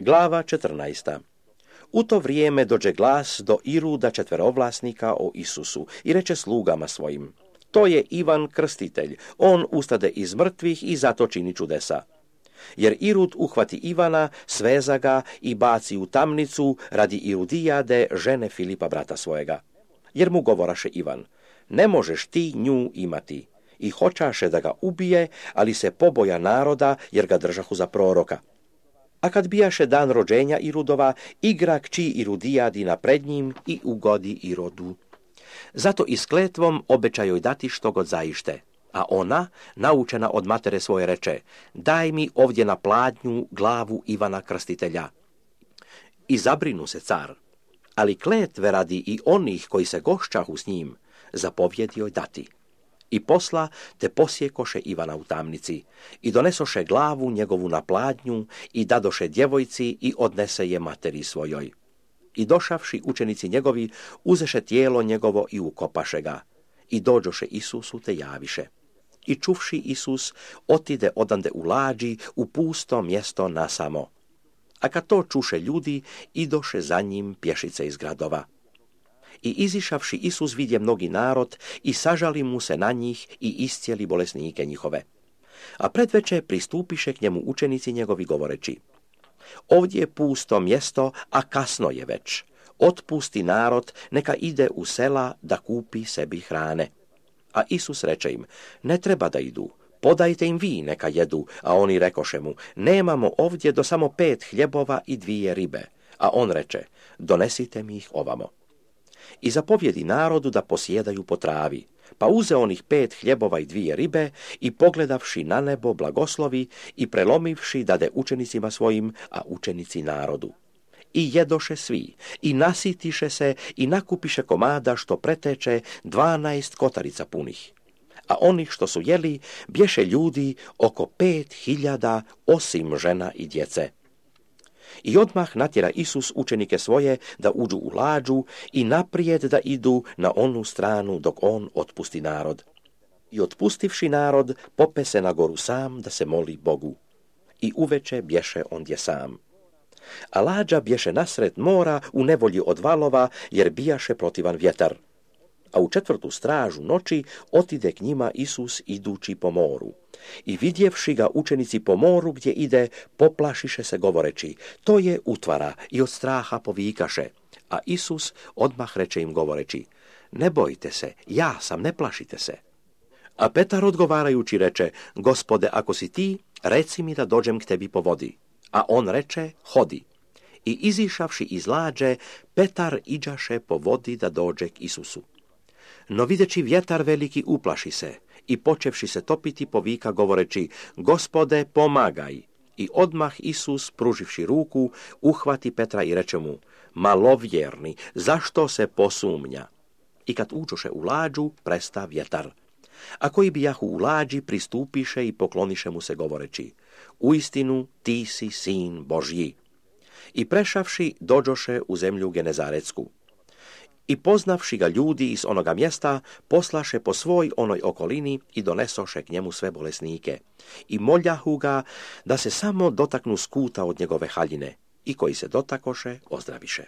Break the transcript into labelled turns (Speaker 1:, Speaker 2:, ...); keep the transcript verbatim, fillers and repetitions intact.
Speaker 1: Glava četrnaesta. U to vrijeme dođe glas do Iruda četverovlasnika o Isusu i reče slugama svojim: to je Ivan Krstitelj, on ustade iz mrtvih i zato čini čudesa. Jer Irud uhvati Ivana, sveza ga i baci u tamnicu radi Irudijade, žene Filipa brata svojega. Jer mu govoraše Ivan: ne možeš ti nju imati. I hoćaše da ga ubije, ali se poboja naroda, jer ga držahu za proroka. A kad bijaše dan rođenja Irudova, igra kći Irudijadina pred njim i ugodi Irodu. Zato i s kletvom obećaju dati što god zaište. A ona, naučena od matere svoje, reče: daj mi ovdje na pladnju glavu Ivana Krstitelja. I zabrinu se car, ali kletve radi i onih koji se gošćahu s njim, zapovjedi joj dati. I posla te posjekoše Ivana u tamnici i donesoše glavu njegovu na pladnju i dadoše djevojci i odnese je materi svojoj. I došavši učenici njegovi, uzeše tijelo njegovo i ukopaše ga. I dođoše Isusu te javiše. I čuvši Isus, otide odande u lađi u pusto mjesto nasamo. A kad to čuše ljudi, idoše za njim pješice iz gradova. I izišavši Isus vidje mnogi narod i sažali mu se na njih i iscijeli bolesnike njihove. A predveče pristupiše k njemu učenici njegovi govoreći: ovdje je pusto mjesto, a kasno je već. Otpusti narod, neka ide u sela da kupi sebi hrane. A Isus reče im: ne treba da idu, podajte im vi neka jedu. A oni rekoše mu: nemamo ovdje do samo pet hljebova i dvije ribe. A on reče: donesite mi ih ovamo. I zapovjedi narodu da posjedaju po travi. Pa uze onih pet hljebova i dvije ribe i pogledavši na nebo blagoslovi i prelomivši dade učenicima svojim, a učenici narodu. I jedoše svi, i nasitiše se, i nakupiše komada što preteče dvanaest kotarica punih. A onih što su jeli, bješe ljudi oko pet hiljada, osim žena i djece. I odmah natjera Isus učenike svoje da uđu u lađu i naprijed da idu na onu stranu dok on otpusti narod. I otpustivši narod, pope se na goru sam da se moli Bogu. I uveče bješe ondje sam. A lađa bješe nasred mora u nevolji od valova, jer bijaše protivan vjetar. A u četvrtu stražu noći otide k njima Isus idući po moru. I vidjevši ga učenici po moru gdje ide, poplašiše se govoreći: to je utvara, i od straha povikaše. A Isus odmah reče im govoreći: ne bojte se, ja sam, ne plašite se. A Petar odgovarajući reče: Gospode, ako si ti, reci mi da dođem k tebi po vodi. A on reče: hodi. I izišavši iz lađe, Petar iđaše po vodi da dođe k Isusu. No videći vjetar veliki, uplaši se i počevši se topiti povika govoreći: Gospode, pomagaj. I odmah Isus, pruživši ruku, uhvati Petra i reče mu: malovjerni, zašto se posumnja? I kad uđoše u lađu, presta vjetar. A koji bijahu u lađi, pristupiše i pokloniše mu se govoreći: uistinu ti si sin Božji. I prešavši, dođoše u zemlju Genezaretsku. I poznavši ga ljudi iz onoga mjesta, poslaše po svoj onoj okolini i donesoše k njemu sve bolesnike. I moljahu ga da se samo dotaknu skuta od njegove haljine, i koji se dotakoše, ozdraviše.